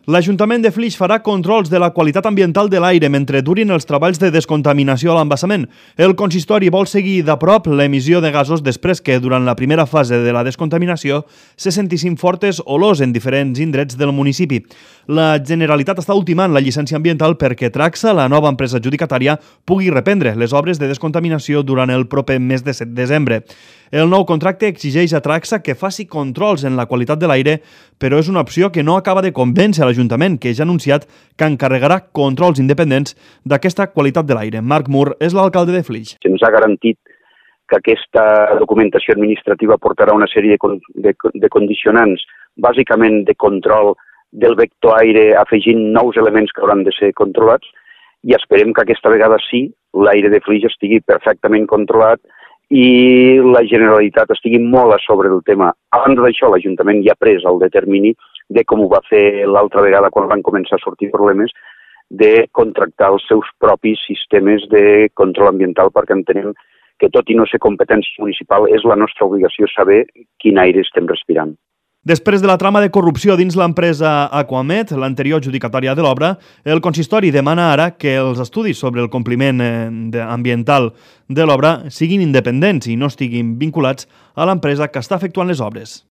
L'Ajuntament de Flix farà controls de la qualitat ambiental de l'aire mentre durin els treballs de descontaminació a l'embassament. El consistori vol seguir de prop l'emissió de gasos després que, durant la primera fase de la descontaminació, se sentissin fortes olors en diferents indrets del municipi. La Generalitat està ultimant la llicència ambiental perquè Traxa, la nova empresa adjudicatària, pugui reprendre les obres de descontaminació durant el proper mes de desembre. El nou contracte exigeix a Traxa que faci controls en la qualitat de l'aire, però és una opció que no acaba de convèncer l'Ajuntament, que ja ha anunciat que encarregarà controls independents d'aquesta qualitat de l'aire. Marc Mur és l'alcalde de Flix. Se'ns ha garantit que aquesta documentació administrativa portarà una sèrie de condicionants, bàsicament de control del vector aire, afegint nous elements que hauran de ser controlats, i esperem que aquesta vegada sí, l'aire de Flix estigui perfectament controlat i la Generalitat estigui molt a sobre del tema. Abans d'això, l'Ajuntament ja ha pres el determini de com ho va fer l'altra vegada quan van començar a sortir problemes, de contractar els seus propis sistemes de control ambiental, perquè entenem que, tot i no ser competència municipal, és la nostra obligació saber quin aire estem respirant. Després de la trama de corrupció dins l'empresa Aquamet, l'anterior adjudicatària de l'obra, el consistori demana ara que els estudis sobre el compliment ambiental de l'obra siguin independents i no estiguin vinculats a l'empresa que està efectuant les obres.